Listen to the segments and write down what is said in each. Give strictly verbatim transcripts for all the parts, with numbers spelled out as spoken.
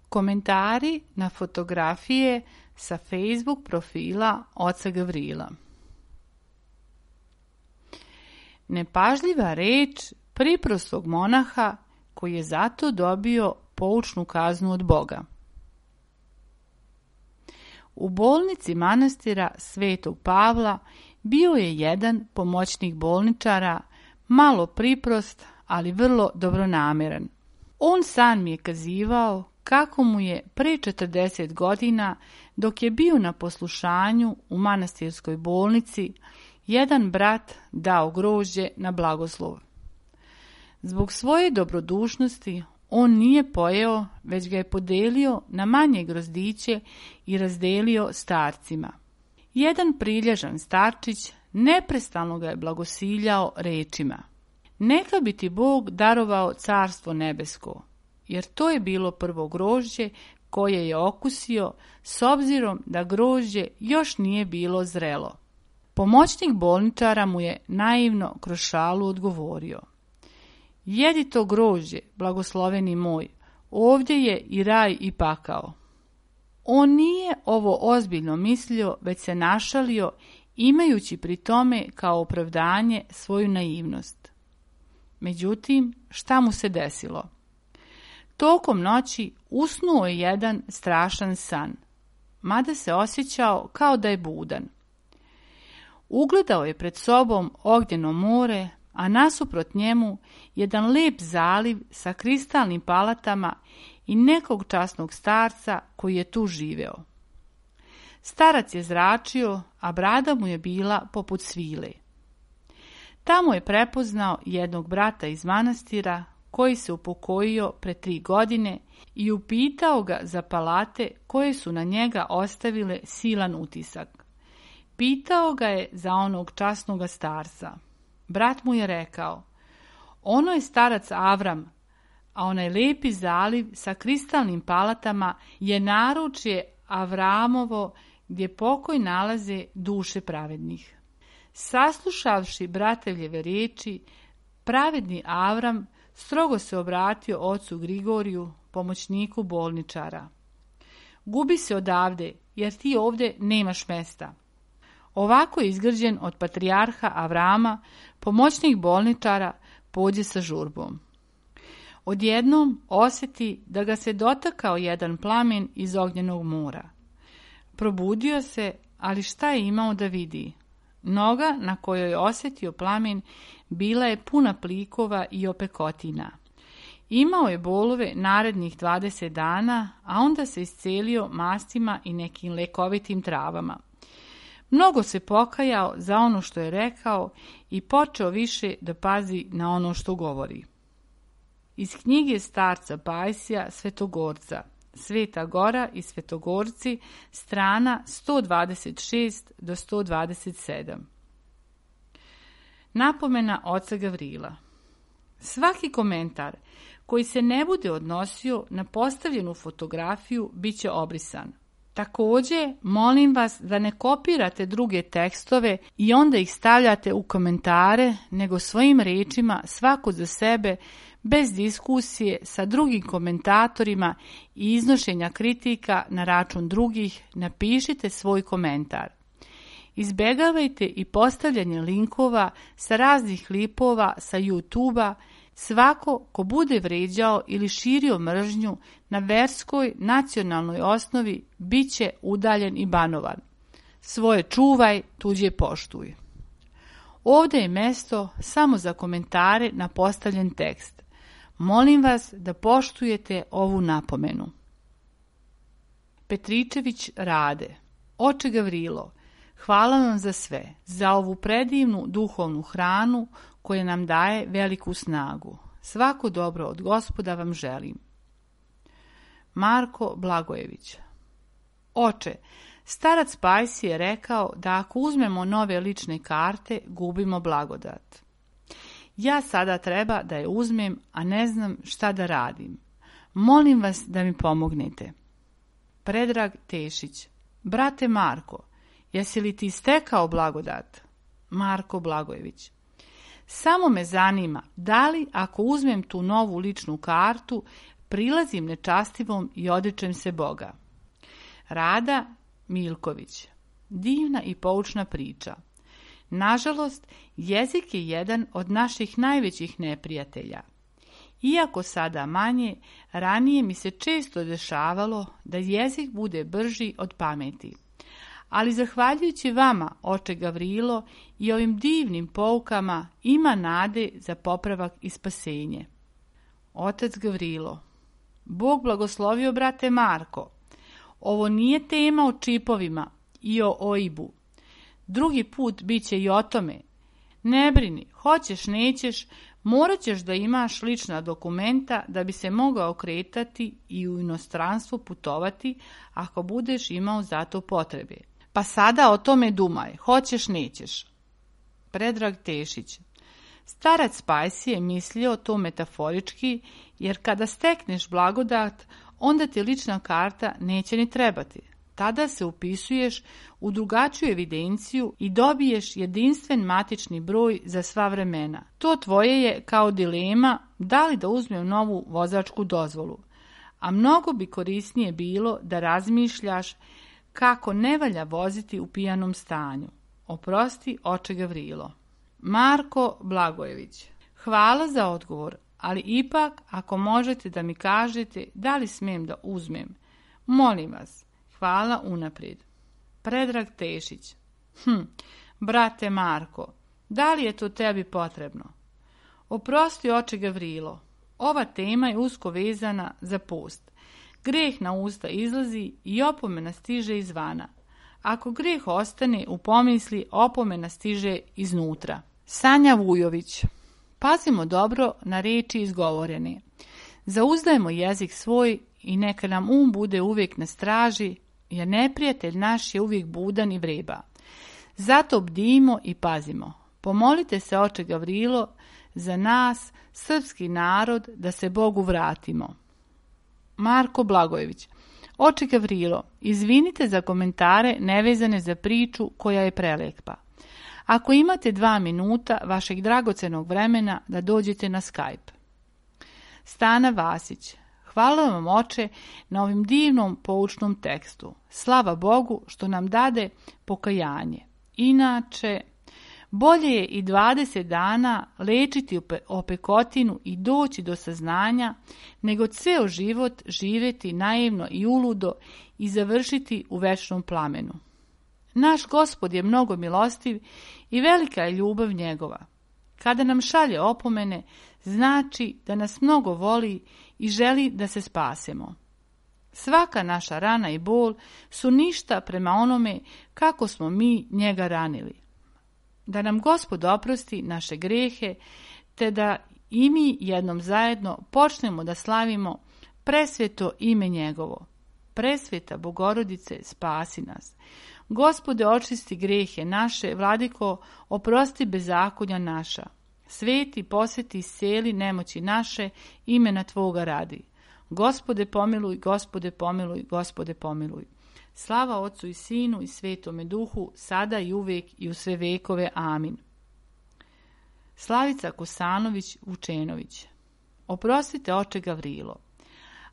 Komentari na fotografije sa Facebook profila oca Gavrila. Nepažljiva reč priprostog monaha koji je zato dobio poučnu kaznu od Boga. U bolnici manastira Svetog Pavla bio je jedan pomoćnik bolničara, malo priprost, ali vrlo dobronameran. On sam mi je kazivao kako mu je pre četrdeset godina, dok je bio na poslušanju u manastirskoj bolnici, jedan brat dao grožđe na blagoslov. Zbog svoje dobrodušnosti on nije pojeo, već ga je podelio na manje grozdiće i razdelio starcima. Jedan prilježan starčić neprestano ga je blagosiljao rečima: neka bi ti Bog darovao carstvo nebesko, jer to je bilo prvo grožđe koje je okusio, s obzirom da grožđe još nije bilo zrelo. Pomoćnik bolničara mu je naivno kroz šalu odgovorio: jedi to grožđe, blagosloveni moj, ovdje je i raj i pakao. On nije ovo ozbiljno mislio, već se našalio, imajući pri tome kao opravdanje svoju naivnost. Međutim, šta mu se desilo? Tokom noći usnuo je jedan strašan san, mada se osjećao kao da je budan. Ugledao je pred sobom ognjeno more, a nasuprot njemu jedan lep zaliv sa kristalnim palatama i nekog časnog starca koji je tu živeo. Starac je zračio, a brada mu je bila poput svile. Tamo je prepoznao jednog brata iz manastira koji se upokojio pre tri godine i upitao ga za palate koje su na njega ostavile silan utisak. Pitao ga je za onog časnoga starca. Brat mu je rekao: ono je starac Avram, a onaj lepi zaliv sa kristalnim palatama je naručje Avramovo gdje pokoj nalaze duše pravednih. Saslušavši bratevljeve riječi, pravedni Avram strogo se obratio ocu Grigoriju, pomoćniku bolničara. Gubi se odavde, jer ti ovdje nemaš mesta. Ovako je izgrđen od patrijarha Avrama, pomoćnik bolničara pođe sa žurbom. Odjednom osjeti da ga se dotakao jedan plamen iz ognjenog mora. Probudio se, ali šta je imao da vidi? Noga na kojoj je osjetio plamen bila je puna plikova i opekotina. Imao je bolove narednih dvadeset dana, a onda se iscelio mastima i nekim lekovitim travama. Mnogo se pokajao za ono što je rekao i počeo više da pazi na ono što govori. Iz knjige starca Pajsija Svetogorca, Sveta Gora i Svetogorci, strana sto dvadeset šest do sto dvadeset sedam. Napomena oca Gavrila. Svaki komentar koji se ne bude odnosio na postavljenu fotografiju bit će obrisan. Također, molim vas da ne kopirate druge tekstove i onda ih stavljate u komentare, nego svojim riječima svako za sebe, bez diskusije sa drugim komentatorima i iznošenja kritika na račun drugih, napišite svoj komentar. Izbjegavajte i postavljanje linkova sa raznih klipova sa YouTube-a. Svako ko bude vređao ili širio mržnju na verskoj nacionalnoj osnovi bit će udaljen i banovan. Svoje čuvaj, tuđe poštuj. Ovdje je mjesto samo za komentare na postavljen tekst. Molim vas da poštujete ovu napomenu. Petričević Rade. Oče Gavrilo, hvala vam za sve, za ovu predivnu duhovnu hranu koja nam daje veliku snagu. Svako dobro od Gospoda vam želim. Marko Blagojević. Oče, starac Pajsi je rekao da ako uzmemo nove lične karte, gubimo blagodat. Ja sada treba da je uzmem, a ne znam šta da radim. Molim vas da mi pomognete. Predrag Tešić. Brate Marko, jesi li ti stekao blagodat? Marko Blagojević. Samo me zanima, da li ako uzmem tu novu ličnu kartu, prilazim nečastivom i odričem se Boga. Rada Milković. Divna i poučna priča. Nažalost, jezik je jedan od naših najvećih neprijatelja. Iako sada manje, ranije mi se često dešavalo da jezik bude brži od pameti. Ali zahvaljujući vama, oče Gavrilo, i ovim divnim poukama ima nade za popravak i spasenje. Otac Gavrilo. Bog blagoslovio brate Marko. Ovo nije tema o čipovima i o O I B-u. Drugi put bit će i o tome. Ne brini, hoćeš, nećeš, morat ćeš da imaš lična dokumenta da bi se mogao kretati i u inostranstvo putovati ako budeš imao za to potrebe. Pa sada o tome dumaj, hoćeš, nećeš. Predrag Tešić. Starac Spajsi je mislio to metaforički, jer kada stekneš blagodat, onda ti lična karta neće ni trebati. Tada se upisuješ u drugačiju evidenciju i dobiješ jedinstven matični broj za sva vremena. To tvoje je kao dilema da li da uzmem novu vozačku dozvolu. A mnogo bi korisnije bilo da razmišljaš kako ne valja voziti u pijanom stanju. Oprosti, oče Gavrilo. Marko Blagojević. Hvala za odgovor, ali ipak ako možete da mi kažete da li smem da uzmem. Molim vas. Hvala unaprijed. Predrag Tešić. Hm, brate Marko, da li je to tebi potrebno? Oprosti, oče Gavrilo, ova tema je usko vezana za post. Greh na usta izlazi i opomena stiže izvana. Ako greh ostane u pomisli, opomena stiže iznutra. Sanja Vujović. Pazimo dobro na reči izgovorene. Zauzdajmo jezik svoj i neka nam um bude uvijek na straži, jer neprijatelj naš je uvijek budan i vreba. Zato bdimo i pazimo. Pomolite se, oče Gavrilo, za nas, srpski narod, da se Bogu vratimo. Marko Blagojević. Oče Gavrilo, izvinite za komentare nevezane za priču koja je prelepa. Ako imate dva minuta vašeg dragocenog vremena da dođete na Skype. Stana Vasić. Hvala vam, oče, na ovim divnom poučnom tekstu. Slava Bogu što nam dade pokajanje. Inače, bolje je i dvadeset dana lečiti opekotinu i doći do saznanja, nego ceo život živjeti naivno i uludo i završiti u večnom plamenu. Naš Gospod je mnogo milostiv i velika je ljubav njegova. Kada nam šalje opomene, znači da nas mnogo voli i želi da se spasemo. Svaka naša rana i bol su ništa prema onome kako smo mi njega ranili. Da nam Gospod oprosti naše grehe, te da i mi jednom zajedno počnemo da slavimo presveto ime njegovo. Presveta Bogorodice, spasi nas. Gospode, očisti grehe naše, Vladiko, oprosti bezakonja naša. Sveti, posveti, isceli nemoći naše, imena Tvoga radi. Gospode pomiluj, Gospode pomiluj, Gospode pomiluj. Slava Otcu i Sinu i Svetome Duhu, sada i uvijek i u sve vekove. Amin. Slavica Kosanović Vučenović. Oprostite, oče Gavrilo,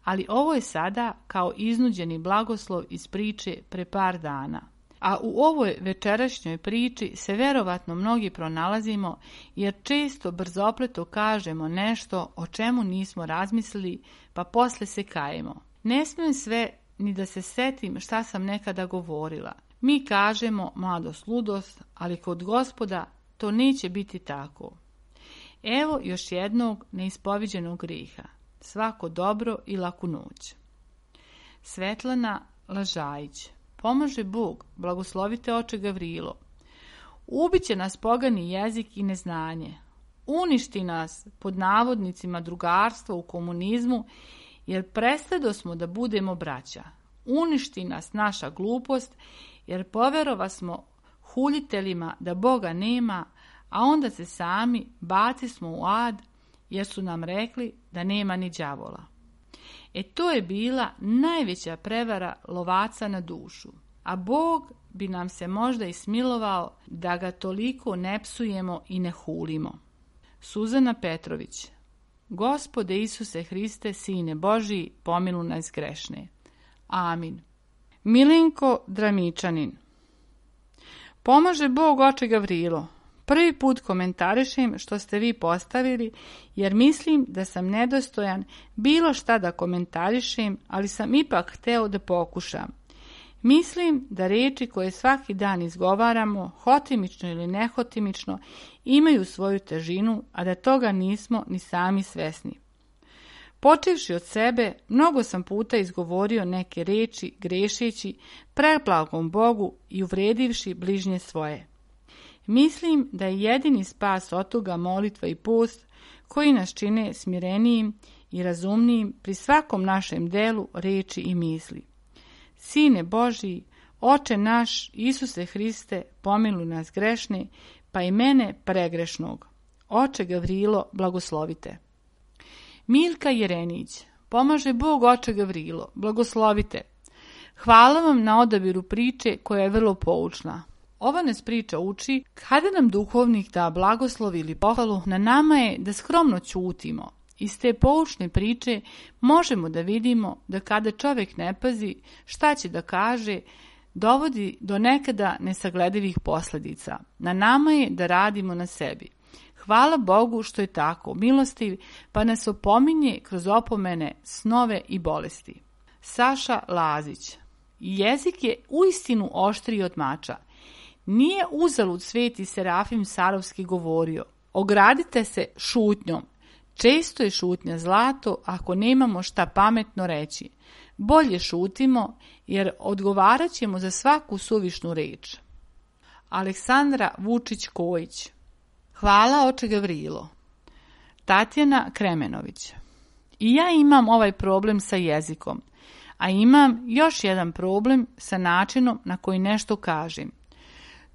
ali ovo je sada kao iznuđeni blagoslov iz priče pre par dana. A u ovoj večerašnjoj priči se verovatno mnogi pronalazimo, jer često brzopleto kažemo nešto o čemu nismo razmislili, pa posle se kajemo. Ne smijem sve ni da se setim šta sam nekada govorila. Mi kažemo mladost, ludost, ali kod Gospoda to neće biti tako. Evo još jednog neispoviđenog griha. Svako dobro i laku noć. Svetlana Lažajić. Pomože Bog, blagoslovite oče Gavrilo. Ubiće nas pogani jezik i neznanje. Uništi nas, pod navodnicima, drugarstvo u komunizmu, jer prestado smo da budemo braća. Uništi nas naša glupost, jer poverova smo huljiteljima da Boga nema, a onda se sami baci smo u ad, jer su nam rekli da nema ni đavola. E to je bila najveća prevara lovaca na dušu, a Bog bi nam se možda i smilovao da ga toliko ne psujemo i ne hulimo. Suzana Petrović. Gospode Isuse Hriste, Sine Božiji, pomiluj nas grešne. Amin. Milenko Dramičanin. Pomaže Bog, oče Gavrilo. Prvi put komentarišem što ste vi postavili, jer mislim da sam nedostojan bilo šta da komentarišem, ali sam ipak hteo da pokušam. Mislim da reči koje svaki dan izgovaramo, hotimično ili nehotimično, imaju svoju težinu, a da toga nismo ni sami svesni. Počevši od sebe, mnogo sam puta izgovorio neke reči, grešeći, preblagom Bogu i uvredivši bližnje svoje. Mislim da je jedini spas od toga molitva i post koji nas čine smirenijim i razumnijim pri svakom našem delu, reči i misli. Sine Božiji, Oče naš, Isuse Hriste, pomiluj nas grešne, pa i mene pregrešnog. Oče Gavrilo, blagoslovite. Milka Jerenić. Pomaže Bog, oče Gavrilo, blagoslovite. Hvala vam na odabiru priče koja je vrlo poučna. Ova nas priča uči kada nam duhovnik da blagoslov ili pohvalu, na nama je da skromno ćutimo. Iz te poučne priče možemo da vidimo da kada čovjek ne pazi šta će da kaže, dovodi do nekada nesagledivih posljedica. Na nama je da radimo na sebi. Hvala Bogu što je tako milostiv, pa nas opominje kroz opomene, snove i bolesti. Saša Lazić. Jezik je uistinu oštriji od mača. Nije uzalud sveti Serafim Sarovski govorio: ogradite se šutnjom. Često je šutnja zlato ako nemamo šta pametno reći. Bolje šutimo, jer odgovarat ćemo za svaku suvišnu reč. Aleksandra Vučić-Kojić. Hvala, oče Gavrilo. Tatjana Kremenović. I ja imam ovaj problem sa jezikom, a imam još jedan problem sa načinom na koji nešto kažem.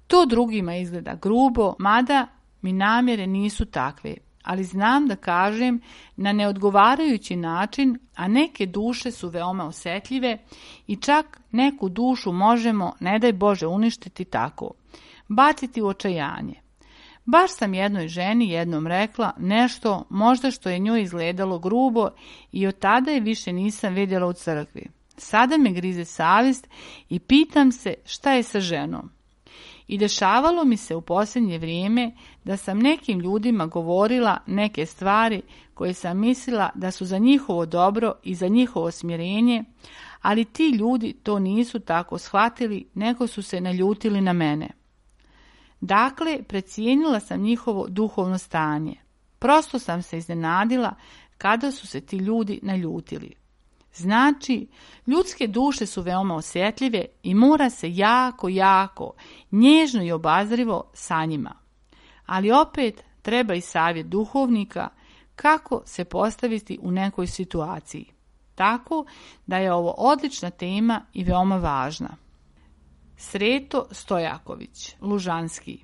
To drugima izgleda grubo, mada mi namjere nisu takve, ali znam da kažem na neodgovarajući način, a neke duše su veoma osjetljive i čak neku dušu možemo, ne daj Bože, uništiti tako, baciti u očajanje. Baš sam jednoj ženi jednom rekla nešto možda što je njoj izgledalo grubo i od tada je više nisam vidjela u crkvi. Sada me grize savjest i pitam se šta je sa ženom. I dešavalo mi se u posljednje vrijeme da sam nekim ljudima govorila neke stvari koje sam mislila da su za njihovo dobro i za njihovo smirenje, ali ti ljudi to nisu tako shvatili, nego su se naljutili na mene. Dakle, precijenila sam njihovo duhovno stanje. Prosto sam se iznenadila kada su se ti ljudi naljutili. Znači, ljudske duše su veoma osjetljive i mora se jako, jako, nježno i obazrivo sa njima. Ali opet treba i savjet duhovnika kako se postaviti u nekoj situaciji. Tako da je ovo odlična tema i veoma važna. Sreto Stojaković, Lužanski.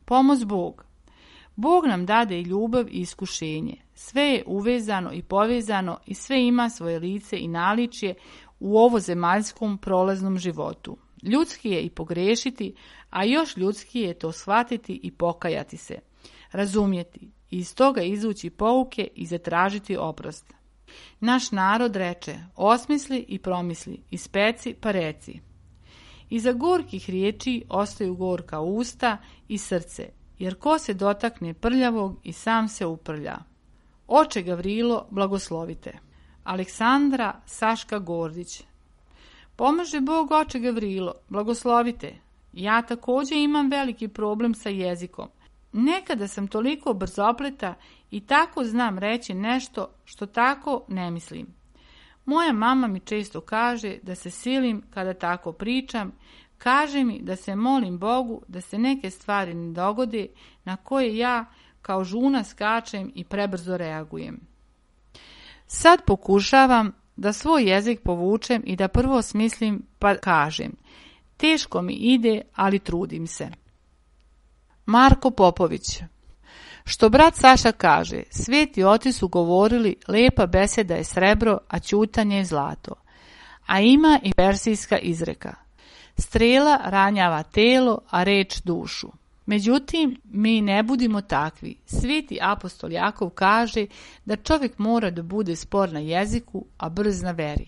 Pomoz Bog. Bog nam dade i ljubav i iskušenje. Sve je uvezano i povezano i sve ima svoje lice i naličje u ovo zemaljskom prolaznom životu. Ljudski je i pogrešiti, a još ljudski je to shvatiti i pokajati se, razumjeti i iz toga izvući pouke i zatražiti oprost. Naš narod reče: osmisli i promisli, ispeci pa reci. Iza gorkih riječi ostaju gorka usta i srce, jer ko se dotakne prljavog i sam se uprlja. Oče Gavrilo, blagoslovite. Aleksandra Saška Gordić. Pomaže Bog, oče Gavrilo, blagoslovite. Ja također imam veliki problem sa jezikom. Nekada sam toliko brzopleta i tako znam reći nešto što tako ne mislim. Moja mama mi često kaže da se silim kada tako pričam, kaže mi da se molim Bogu da se neke stvari ne dogode na koje ja kao žuna skačem i prebrzo reagujem. Sad pokušavam da svoj jezik povučem i da prvo smislim pa kažem. Teško mi ide, ali trudim se. Marko Popović. Što brat Saša kaže, sveti oci su govorili, lepa beseda je srebro, a ćutanje je zlato. A ima i persijska izreka. Strela ranjava telo, a reč dušu. Međutim, mi ne budimo takvi. Sveti apostol Jakov kaže da čovjek mora da bude spor na jeziku, a brz na veri.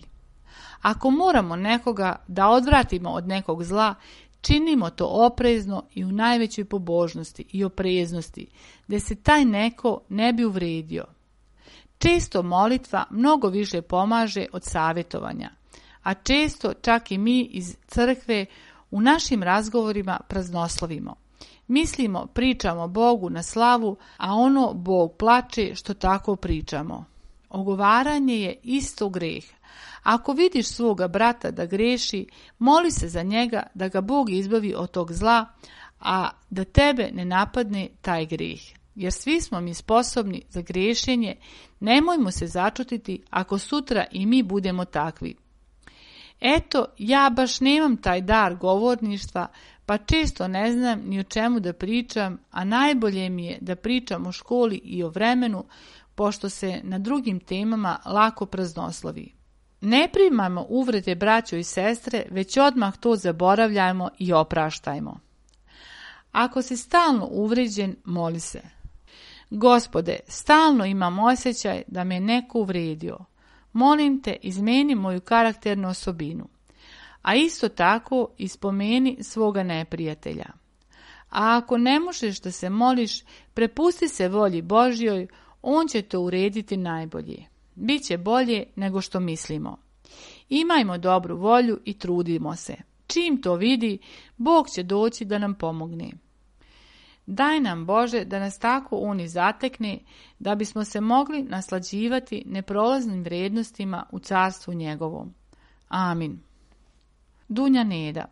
Ako moramo nekoga da odvratimo od nekog zla, činimo to oprezno i u najvećoj pobožnosti i opreznosti, da se taj neko ne bi uvredio. Često molitva mnogo više pomaže od savjetovanja, a često čak i mi iz crkve u našim razgovorima praznoslovimo. Mislimo, pričamo Bogu na slavu, a ono Bog plače što tako pričamo. Ogovaranje je isto greh. Ako vidiš svoga brata da greši, moli se za njega da ga Bog izbavi od tog zla, a da tebe ne napadne taj greh. Jer svi smo mi sposobni za griješenje, nemojmo se začutiti ako sutra i mi budemo takvi. Eto, ja baš nemam taj dar govorništva, pa često ne znam ni o čemu da pričam, a najbolje mi je da pričam o školi i o vremenu, pošto se na drugim temama lako praznoslovi. Ne primajmo uvrede braćo i sestre, već odmah to zaboravljajmo i opraštajmo. Ako si stalno uvređen, moli se. Gospode, stalno imam osjećaj da me neko uvredio. Molim te, izmeni moju karakternu osobinu. A isto tako ispomeni svoga neprijatelja. A ako ne možeš da se moliš, prepusti se volji Božjoj, on će to urediti najbolje. Biće bolje nego što mislimo. Imajmo dobru volju i trudimo se. Čim to vidi, Bog će doći da nam pomogne. Daj nam, Bože, da nas tako on i zatekne, da bismo se mogli naslađivati neprolaznim vrijednostima u carstvu njegovom. Amin. Dunja Neda.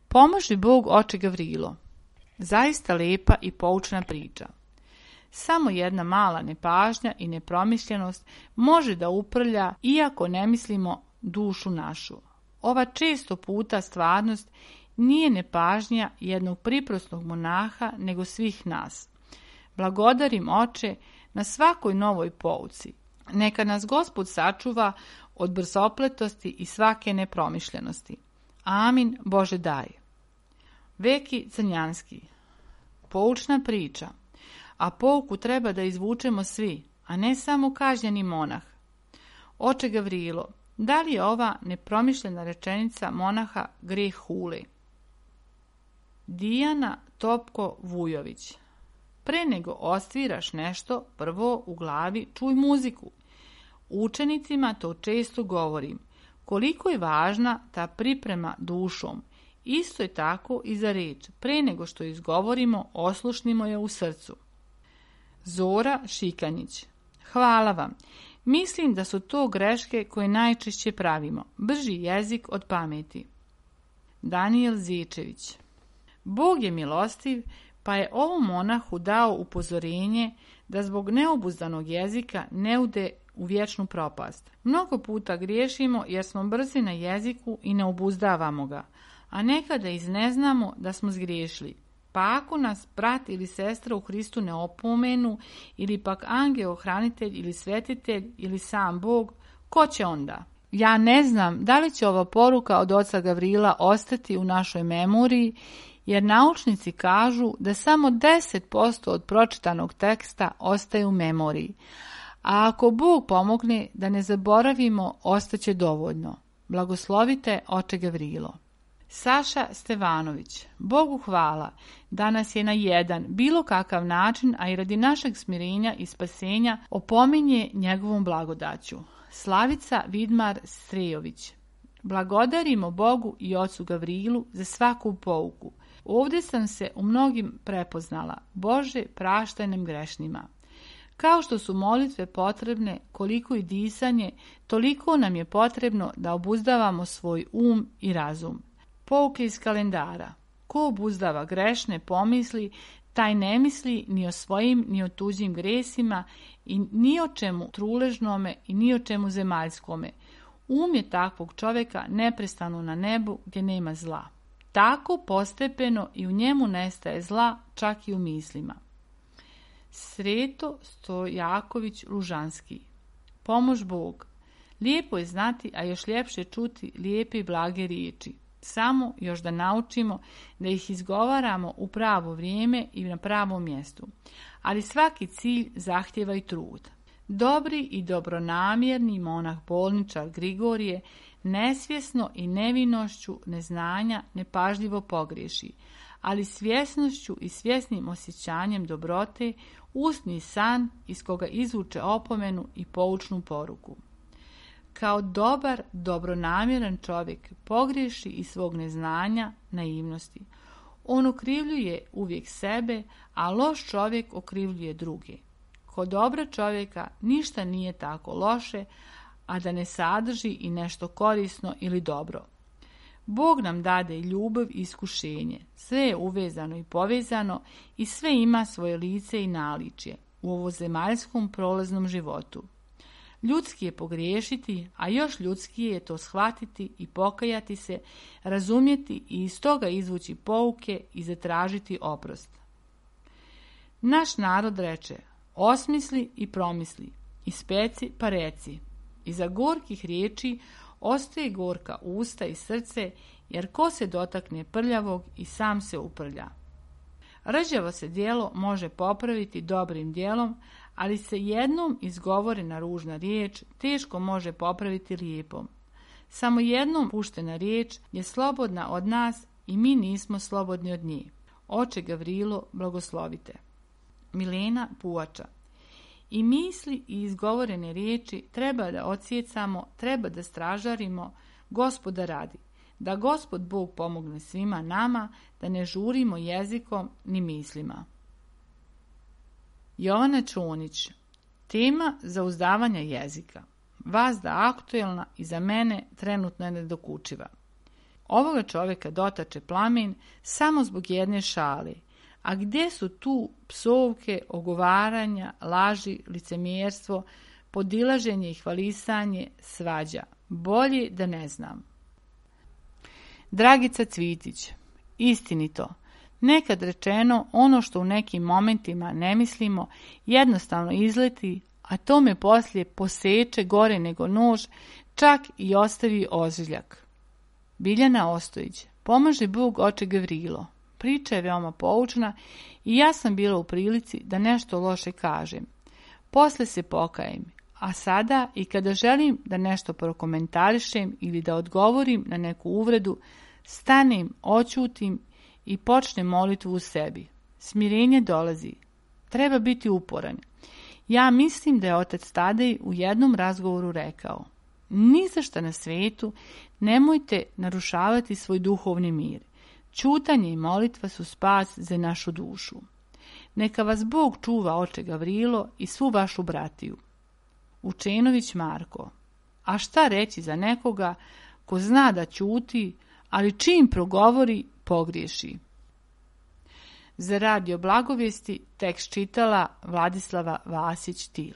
Pomoži Bog, oče Gavrilo. Zaista lepa i poučna priča. Samo jedna mala nepažnja i nepromišljenost može da uprlja, iako ne mislimo, dušu našu. Ova često puta stvarnost nije nepažnja jednog priprosnog monaha, nego svih nas. Blagodarim, oče, na svakoj novoj pouci. Neka nas Gospod sačuva od brzopletosti i svake nepromišljenosti. Amin, Bože daj. Veki Crnjanski. Poučna priča. A pouku treba da izvučemo svi, a ne samo kažnjeni monah. Oče Gavrilo, da li je ova nepromišljena rečenica monaha greh hule? Dijana Topko Vujović. Pre nego ostviraš nešto, prvo u glavi čuj muziku. Učenicima to često govorim. Koliko je važna ta priprema dušom. Isto je tako i za reč. Pre nego što izgovorimo, oslušnimo je u srcu. Zora Šikanjić. Hvala vam. Mislim da su to greške koje najčešće pravimo. Brži jezik od pameti. Danijel Zičević. Bog je milostiv, pa je ovom monahu dao upozorenje da zbog neobuzdanog jezika ne ude u vječnu propast. Mnogo puta griješimo jer smo brzi na jeziku i ne obuzdavamo ga, a nekada iz ne znamo da smo zgriješili. Pa ako nas brat ili sestra u Hristu ne opomenu, ili pak angel, hranitelj ili svetitelj ili sam Bog, ko će onda? Ja ne znam da li će ova poruka od oca Gavrila ostati u našoj memoriji, jer naučnici kažu da samo deset posto od pročitanog teksta ostaje u memoriji, a ako Bog pomogne da ne zaboravimo, ostaće dovoljno. Blagoslovite, oče Gavrilo. Saša Stevanović. Bogu hvala da nas je na jedan, bilo kakav način, a i radi našeg smirenja i spasenja, opominje njegovom blagodaću. Slavica Vidmar Strejović. Blagodarimo Bogu i ocu Gavrilu za svaku pouku. Ovdje sam se u mnogim prepoznala. Bože, praštaj nam grešnima. Kao što su molitve potrebne, koliko i disanje, toliko nam je potrebno da obuzdavamo svoj um i razum. Pouke iz kalendara. Ko obuzdava grešne pomisli, taj ne misli ni o svojim ni o tuđim gresima i ni o čemu truležnome i ni o čemu zemaljskome. Um je takvog čovjeka neprestano na nebu gdje nema zla. Tako postepeno i u njemu nestaje zla, čak i u mislima. Sreto Stojaković Lužanski. Pomož Bog. Lijepo je znati, a još ljepše čuti lijepe i blage riječi. Samo još da naučimo da ih izgovaramo u pravo vrijeme i na pravom mjestu. Ali svaki cilj zahtjeva i trud. Dobri i dobronamjerni monah bolničar Grigorije nesvjesno i nevinošću neznanja nepažljivo pogriješi, ali svjesnošću i svjesnim osjećanjem dobrote usni san iz koga izvuče opomenu i poučnu poruku. Kao dobar, dobronamjeran čovjek pogriješi iz svog neznanja, naivnosti. On okrivljuje uvijek sebe, a loš čovjek okrivljuje druge. Kod dobra čovjeka ništa nije tako loše, a da ne sadrži i nešto korisno ili dobro. Bog nam dade i ljubav i iskušenje. Sve je uvezano i povezano i sve ima svoje lice i naličje u ovozemaljskom prolaznom životu. Ljudski je pogriješiti, a još ljudskije je to shvatiti i pokajati se, razumjeti i iz toga izvući pouke i zatražiti oprost. Naš narod reče: osmisli i promisli, ispeci pa reci. Iza gorkih riječi ostaje gorka usta i srce, jer ko se dotakne prljavog i sam se uprlja. Rđavo se djelo može popraviti dobrim djelom, ali se jednom izgovorena ružna riječ teško može popraviti lijepom. Samo jednom puštena riječ je slobodna od nas i mi nismo slobodni od nje. Oče Gavrilo, blagoslovite. Milena Puvača. I misli i izgovorene riječi treba da odsjecamo, treba da stražarimo, Gospoda radi, da Gospod Bog pomogne svima nama, da ne žurimo jezikom ni mislima. Jovana Čonić. Tema zauzdavanja jezika. Vazda aktuelna i za mene trenutno je nedokučiva. Ovoga čovjeka dotače plamen samo zbog jedne šale. A gdje su tu psovke, ogovaranja, laži, licemjerstvo, podilaženje i hvalisanje, svađa? Bolje da ne znam. Dragica Cvitić. Istinito. Nekad rečeno, ono što u nekim momentima ne mislimo, jednostavno izleti, a to me poslije poseče gore nego nož, čak i ostavi ožiljak. Biljana Ostojić. Pomaže Bog, oče Gavrilo. Priča je veoma poučna i ja sam bila u prilici da nešto loše kažem. Posle se pokajem, a sada i kada želim da nešto prokomentarišem ili da odgovorim na neku uvredu, stanem, oćutim i počnem molitvu u sebi. Smirenje dolazi. Treba biti uporan. Ja mislim da je otac Tadej u jednom razgovoru rekao: ni za šta na svijetu nemojte narušavati svoj duhovni mir. Ćutanje i molitva su spas za našu dušu. Neka vas Bog čuva, oče Gavrilo, i svu vašu bratiju. Učenović Marko. A šta reći za nekoga ko zna da ćuti, ali čim progovori, pogriješi? Za radio Blagovijesti tekst čitala Vladislava Vasić-Til.